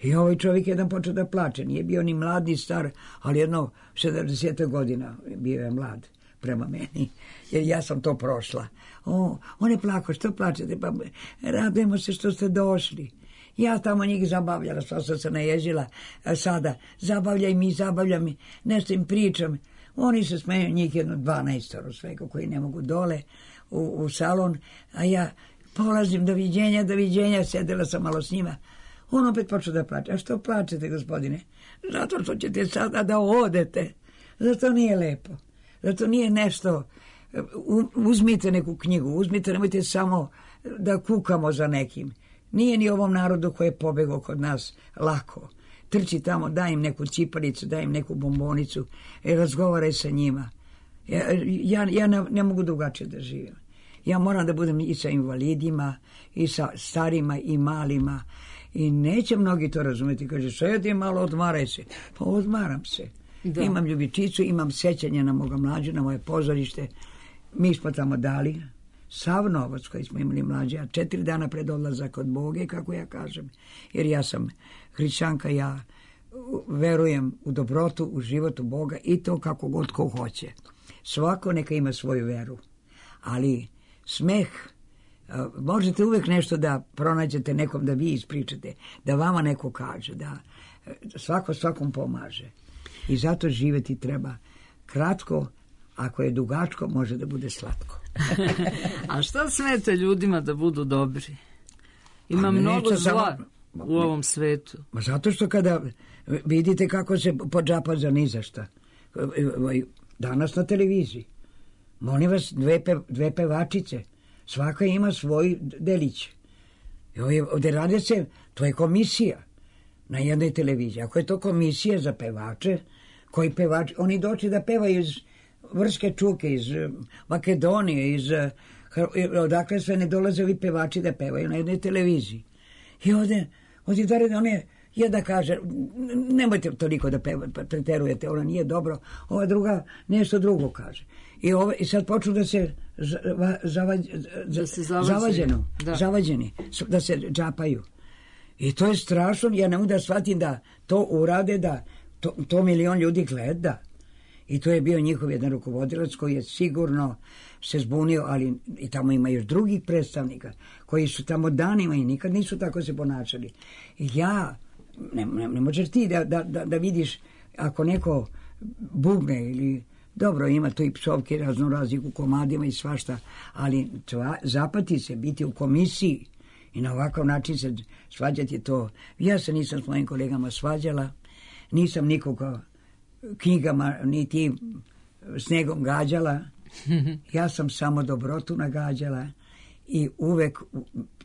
[SPEAKER 4] I ovaj čovjek jedan počeo da plače, nije bio ni mlad ni star, ali jedno sedamdeset godina bio je mlad prema meni, jer ja sam to prošla. O, on je plakao, što plačete? Pa radujemo se što ste došli. Ja tamo njih zabavljala, što sam se naježila sada. Zabavljaj mi, zabavljaj mi, nešto im pričam. Oni se smeju, njih jedno dvanaestoro svega koji ne mogu dole u, u salon, a ja polazim, doviđenja, doviđenja, sedela sam malo s njima. On opet počeo da plače. A što plačete, gospodine? Zato što ćete sada da odete. Zato nije lepo. Zato nije nešto. Uzmite neku knjigu, uzmite, nemojte samo da kukamo za nekim. Nije ni ovom narodu koji je pobegao kod nas lako. Trči tamo, daj im neku ciparicu, daj im neku bombonicu i razgovaraj sa njima. Ja, ja, ja ne, ne mogu drugačije da živim. Ja moram da budem i sa invalidima, i sa starima, i malima. I neće mnogi to razumjeti. Kaže, sedi malo, odmaraj se. Pa odmaram se. Da. Imam ljubičicu, imam sećanje na moga mlađe, na moje pozorište. Mi smo tamo dali sav novac koji smo imali mlađe, a četiri dana pred odlazak od Boge, kako ja kažem. Jer ja sam hrišćanka, ja verujem u dobrotu, u životu Boga i to kako god ko hoće. Svako neka ima svoju veru. Ali smeh, možete uvek nešto da pronađete nekom, da vi ispričate, da vama neko kaže, da svako svakom pomaže. I zato živjeti treba kratko, ako je dugačko, može da bude slatko.
[SPEAKER 3] A šta smete ljudima da budu dobri? Ima
[SPEAKER 4] Pa
[SPEAKER 3] mnogo
[SPEAKER 4] neće
[SPEAKER 3] zla
[SPEAKER 4] samo-
[SPEAKER 3] u ovom svetu.
[SPEAKER 4] Ma zato što kada vidite kako se podžapa za ni za šta. Danas na televiziji. Molim vas, dve, pe, dve pevačice. Svaka ima svoj delić. I ovdje, ovdje rade se, to je komisija na jednoj televiziji. Ako je to komisija za pevače, koji pevači, oni doći da pevaju iz Vrške Čuke, iz eh, Makedonije, iz eh, Hr- odakle sve ne dolaze ovi pevači da pevaju na jednoj televiziji. I ovdje, ovdje da one, jedna kaže, "N- nemojte toliko da peva, pa preterujete, ona nije dobro, ova druga nešto drugo kaže. I, ove, i sad počnu da se za, va- zavađ,
[SPEAKER 3] Da se zavađaju.
[SPEAKER 4] zavađeno,
[SPEAKER 3] Da.
[SPEAKER 4] zavađeni, s- da se džapaju. I to je strašno, ja ne mogu da shvatim da to urade, da to, to milion ljudi gleda. I to je bio njihov jedan rukovodilac koji je sigurno se zbunio, ali i tamo ima još drugih predstavnika koji su tamo danima i nikad nisu tako se ponašali. I ja, ne, ne, ne možeš ti da, da, da, da vidiš ako neko bugne ili dobro, ima tu i psovke razno raznih u komadima i svašta, ali tva, zapati se biti u komisiji i na ovakav način se svađati to. Ja se nisam s mojim kolegama svađala, nisam nikoga knjigama niti snegom gađala. Ja sam samo dobrotu nagađala i uvek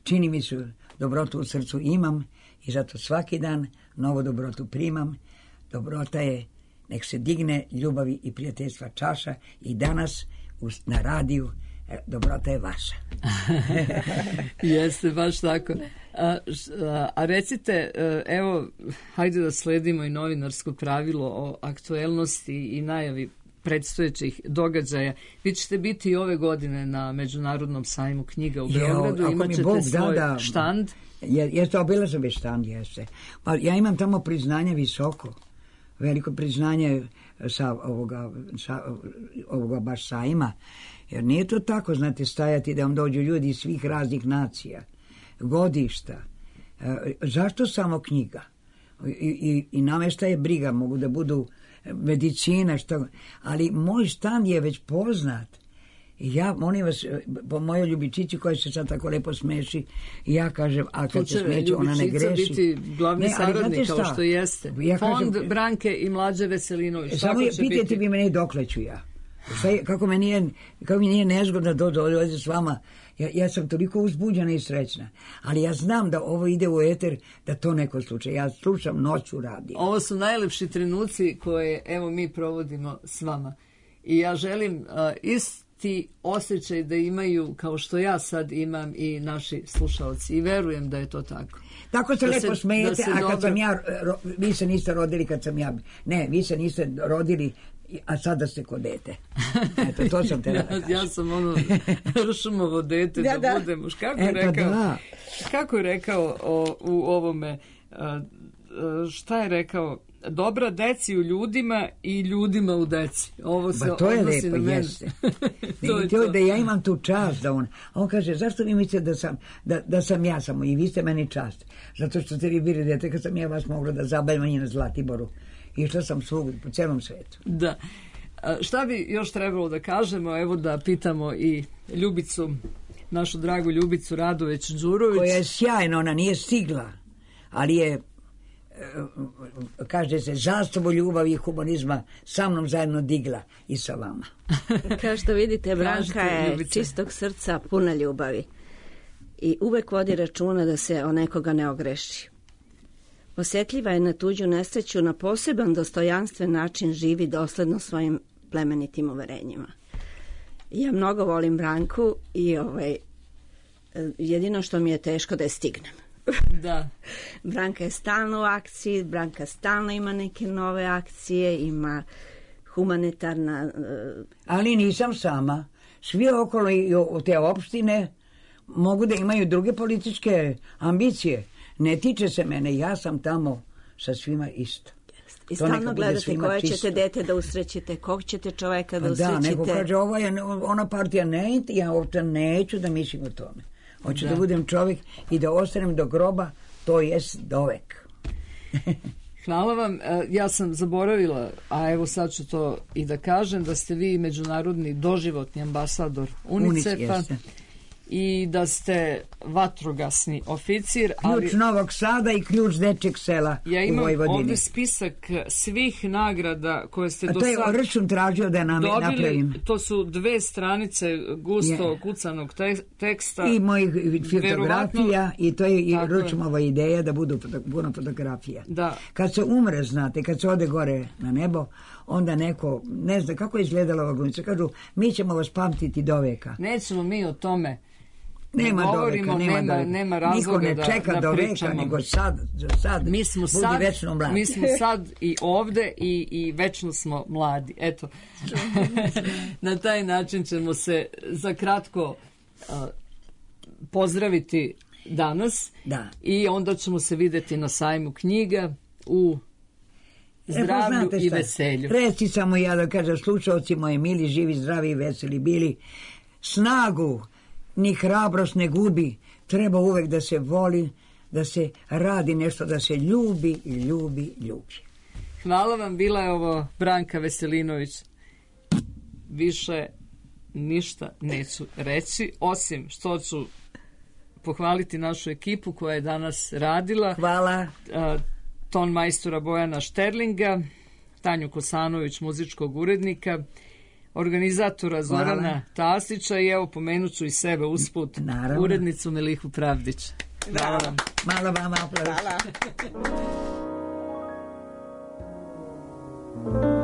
[SPEAKER 4] čini mi se dobrotu u srcu imam i zato svaki dan novu dobrotu primam. Dobrota je nek se digne ljubavi i prijateljstva čaša i danas uz- na radiju e, dobrota je vaša.
[SPEAKER 3] Jeste, baš tako. A, š- a, a recite, e, evo, hajde da sledimo i novinarsko pravilo o aktuelnosti i najavi predstojećih događaja. Vi ćete biti i ove godine na Međunarodnom sajmu knjiga u
[SPEAKER 4] Jeo,
[SPEAKER 3] Beogradu,
[SPEAKER 4] ako mi
[SPEAKER 3] imat ćete
[SPEAKER 4] Bog da,
[SPEAKER 3] svoj
[SPEAKER 4] da.
[SPEAKER 3] štand.
[SPEAKER 4] Je, jeste, obilazio bi štand, jeste. Pa ja imam tamo priznanje visoko, veliko priznanje sa ovoga, sa ovoga baš sajma, jer nije to tako, znate, stajati da vam dođu ljudi iz svih raznih nacija, godišta. E, zašto samo knjiga? I, i, i namešta je briga, mogu da budu medicina, što, ali moj štand je već poznat. I ja, molim vas, po mojoj Ljubičici koja se sad tako lepo smeši, i ja kažem, a
[SPEAKER 3] Tu
[SPEAKER 4] kad se
[SPEAKER 3] će
[SPEAKER 4] smeće, ona ne
[SPEAKER 3] Ljubičica
[SPEAKER 4] greši.
[SPEAKER 3] biti glavni
[SPEAKER 4] Ne, ali
[SPEAKER 3] saradnik,
[SPEAKER 4] znate
[SPEAKER 3] kao
[SPEAKER 4] šta?
[SPEAKER 3] što jeste.
[SPEAKER 4] Ja
[SPEAKER 3] Fond
[SPEAKER 4] kažem-
[SPEAKER 3] Branke i Mlađe Veselinović.
[SPEAKER 4] Samo
[SPEAKER 3] Tako
[SPEAKER 4] je,
[SPEAKER 3] će
[SPEAKER 4] pitajte
[SPEAKER 3] biti.
[SPEAKER 4] vi mene dokle ću ja. Šta je, kako me nije, kako mi nije nezgodno da dođe s vama. Ja, ja sam toliko uzbuđena i srećna. Ali ja znam da ovo ide u eter, da to neko slučaj. Ja slušam noću radio.
[SPEAKER 3] Ovo su najlepši trenuci koje, evo, mi provodimo s vama. I ja želim a, isti osjećaj da imaju kao što ja sad imam i naši slušalci. I verujem da je to tako.
[SPEAKER 4] Tako se
[SPEAKER 3] Da
[SPEAKER 4] lepo
[SPEAKER 3] se-
[SPEAKER 4] smijete,
[SPEAKER 3] da se
[SPEAKER 4] a kad
[SPEAKER 3] dobro-
[SPEAKER 4] sam ja, ro, vi se niste rodili kad sam ja, ne, vi se niste rodili, a sada ste ko dete. Eto, to sam te
[SPEAKER 3] ja,
[SPEAKER 4] da
[SPEAKER 3] ja sam ono Ršumovo dete da,
[SPEAKER 2] Da, da.
[SPEAKER 3] budem muš. Kako
[SPEAKER 4] E,
[SPEAKER 3] je
[SPEAKER 4] pa
[SPEAKER 3] rekao,
[SPEAKER 4] da.
[SPEAKER 3] kako je rekao o, u ovome, a, a, šta je rekao, dobra deci u ljudima i ljudima u deci. Ovo se
[SPEAKER 4] Ba to je
[SPEAKER 3] odnosi
[SPEAKER 4] lepo,
[SPEAKER 3] na mene.
[SPEAKER 4] jeste.
[SPEAKER 3] To je
[SPEAKER 4] Vidite,
[SPEAKER 3] to.
[SPEAKER 4] da ja imam tu čast da on, a on kaže, zašto vi mislite da sam, da, da sam ja samo i vi ste meni čast? Zato što ste vi bili dete kad sam ja vas mogla da zabavim i na Zlatiboru. Išla sam svugdje po celom svetu.
[SPEAKER 3] Da. A, šta bi još trebalo da kažemo? Evo da pitamo i Ljubicu, našu dragu Ljubicu Radović Đurović.
[SPEAKER 4] Koja je sjajna, ona nije stigla, ali je, e, kaže se, zastavu ljubavi i humanizma sa mnom zajedno digla i sa vama.
[SPEAKER 2] Kao što vidite, Branka
[SPEAKER 3] Kažite,
[SPEAKER 2] je
[SPEAKER 3] Ljubice.
[SPEAKER 2] čistog srca, puna ljubavi. I uvek vodi računa da se o nekoga ne ogreši. Osjetljiva je na tuđu nesreću, na poseban dostojanstven način živi dosledno svojim plemenitim uverenjima. Ja mnogo volim Branku i ovaj, jedino što mi je teško da je stignem.
[SPEAKER 3] Da.
[SPEAKER 2] Branka je stalno u akciji, Branka stalno ima neke nove akcije, ima humanitarna... eh,
[SPEAKER 4] Ali nisam sama. Svi okolo i o- te opštine mogu da imaju druge političke ambicije. Ne tiče se mene, ja sam tamo sa svima isto.
[SPEAKER 2] I
[SPEAKER 4] To neka
[SPEAKER 2] stalno
[SPEAKER 4] bude
[SPEAKER 2] gledate
[SPEAKER 4] svima
[SPEAKER 2] koje
[SPEAKER 4] čisto.
[SPEAKER 2] ćete dete da usrećite, kog ćete čoveka da
[SPEAKER 4] Pa da,
[SPEAKER 2] usrećite.
[SPEAKER 4] neko kaže, ova je, ona partija ne, ja uopšte neću da mislim o tome. Hoću da.
[SPEAKER 3] Da.
[SPEAKER 4] budem čovjek i da ostanem do groba, to jest dovek.
[SPEAKER 3] Hvala vam. Ja sam zaboravila, a evo sad ću to i da kažem, da ste vi međunarodni doživotni ambasador UNICEF-a i da ste vatrogasni oficir.
[SPEAKER 4] Ključ ali Novog Sada i ključ Dečeg sela
[SPEAKER 3] ja
[SPEAKER 4] u Vojvodini. Ja imam
[SPEAKER 3] ovdje spisak svih nagrada koje ste do sad
[SPEAKER 4] dobili. A to je račun tražio da nam dobili, napravim.
[SPEAKER 3] To su dve stranice gusto yeah. kucanog te, teksta.
[SPEAKER 4] I mojih fotografija i to je i Ručmova ideja da budu puno fotografija.
[SPEAKER 3] Da.
[SPEAKER 4] Kad se umre, znate, kad se ode gore na nebo, onda neko, ne zna kako je izgledala ova glumica, kažu, mi ćemo vas pamtiti do veka.
[SPEAKER 3] Nećemo mi o tome.
[SPEAKER 4] Nema do veka, nema, nema,
[SPEAKER 3] nema razloga
[SPEAKER 4] niko ne čeka
[SPEAKER 3] da,
[SPEAKER 4] do
[SPEAKER 3] da
[SPEAKER 4] veka, nego sad, sad
[SPEAKER 3] mi smo
[SPEAKER 4] budi
[SPEAKER 3] sad,
[SPEAKER 4] večno mladi.
[SPEAKER 3] Mi smo sad i ovde i, i večno smo mladi. Eto, na taj način ćemo se za kratko uh, pozdraviti danas
[SPEAKER 4] da.
[SPEAKER 3] I onda ćemo se videti na sajmu knjiga u zdravlju e, i veselju.
[SPEAKER 4] Reci samo ja da kažem, slušalci moji mili, živi, zdravi i veseli bili, snagu ni hrabrost ne gubi, treba uvek da se voli, da se radi nešto, da se ljubi i ljubi, ljubi.
[SPEAKER 3] Hvala vam, bila je ovo Branka Veselinović. Više ništa neću reći, osim što ću pohvaliti našu ekipu koja je danas radila.
[SPEAKER 4] Hvala.
[SPEAKER 3] Uh, ton majstora Bojana Šterlinga, Tanju Kosanović, muzičkog urednika, organizatora Zorana Hvala. Tasića i evo pomenut ću i sebe usput, Naravno. urednicu Melihu Pravdić.
[SPEAKER 4] Hvala vam. Malo vama aplauz.
[SPEAKER 7] Hvala.